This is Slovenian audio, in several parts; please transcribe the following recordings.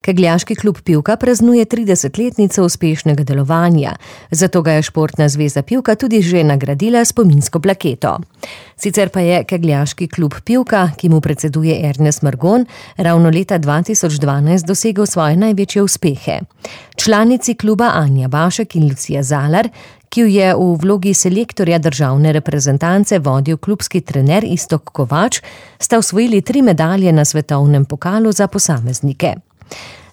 Kegljaški klub Pivka praznuje 30-letnico uspešnega delovanja, zato ga je Športna zveza Pivka tudi že nagradila s spominsko plaketo. Sicer pa je Kegljaški klub Pivka, ki mu predseduje Ernest Margon, ravno leta 2012 dosegel svoje največje uspehe. Članici kluba Anja Bašek in Lucija Zalar, ki jo je v vlogi selektorja državne reprezentance vodil klubski trener Iztok Kovač, sta osvojili 3 medalje na svetovnem pokalu za posameznike.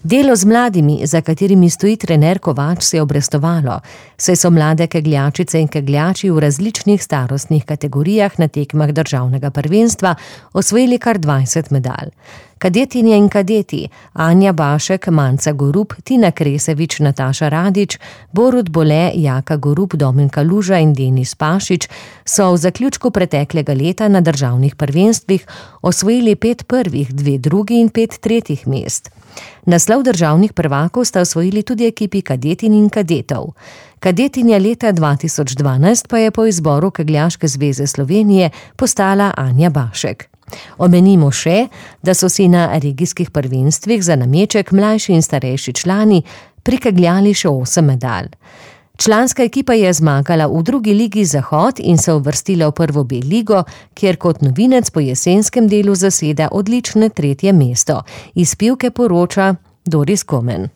Delo z mladimi, za katerimi stoji trener Kovač, se je obrestovalo, saj so mlade kegljačice in kegljači v različnih starostnih kategorijah na tekmah državnega prvenstva osvojili kar 20 medalj. Kadetinje in kadeti Anja Bašek, Manca Gorup, Tina Kresevič, Nataša Radič, Borut Bole, Jaka Gorup, Domen Kaluža in Denis Pašič so v zaključku preteklega leta na državnih prvenstvih osvojili 5 prvih, 2 drugi in 5 tretjih mest. Naslov državnih prvakov sta osvojili tudi ekipi kadetin in kadetov. Kadetinja leta 2012 pa je po izboru Kegljaške zveze Slovenije postala Anja Bašek. Omenimo še, da so si na regijskih prvenstvih za nameček mlajši in starejši člani prikegljali še 8 medalj. Članska ekipa je zmagala v 2. ligi Zahod in se uvrstila v 1. B ligo, kjer kot novinec po jesenskem delu zaseda odlično 3. mesto. Iz Pivke poroča Doris Komen.